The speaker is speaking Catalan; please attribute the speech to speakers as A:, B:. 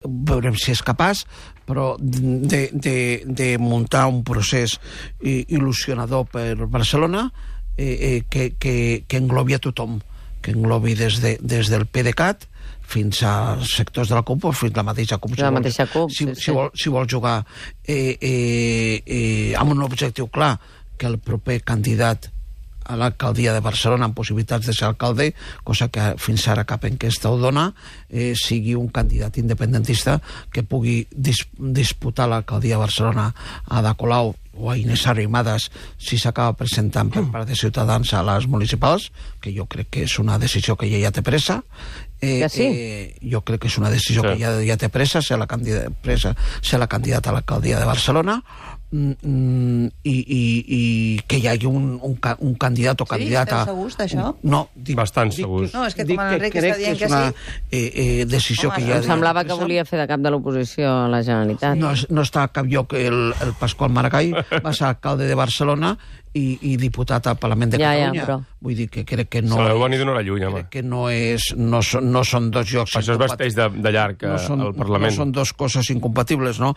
A: veurem si és capaç, però de muntar un procés il·lusionador per Barcelona que englobi a tothom, que englobi des del PDeCAT fins a sectors de la CUP o fins a la mateixa CUP. Si vol jugar amb un objectiu clar, que el proper candidat a l'alcaldia de Barcelona amb possibilitats de ser alcalde, cosa que fins ara cap enquesta ho dona, sigui un candidat independentista que pugui disputar l'alcaldia de Barcelona a Ada Colau o a Inés Arrimadas si s'acaba presentant per part de Ciutadans a les municipals, que jo crec que és una decisió que ja té pressa. Jo crec que és una decisió que ja té pressa ser la candidata a l'alcaldia de Barcelona, i que hi hagi un candidat o candidata...
B: Sí, esteu segurs d'això?
A: No,
C: bastant segurs.
B: No, és que com l'Enric està dient que sí...
A: una decisió que ja...
D: Em semblava que volia fer de cap de l'oposició a la Generalitat.
A: No està a cap lloc el Pasqual Maragall, va ser alcalde de Barcelona i diputat al Parlament de Catalunya.
D: Però...
A: Vull dir que crec que no...
C: Se l'heu venir d'una hora lluny, home.
A: Crec que no són dos llocs...
C: Això es vesteix de llarg al Parlament.
A: No són dos coses incompatibles, no?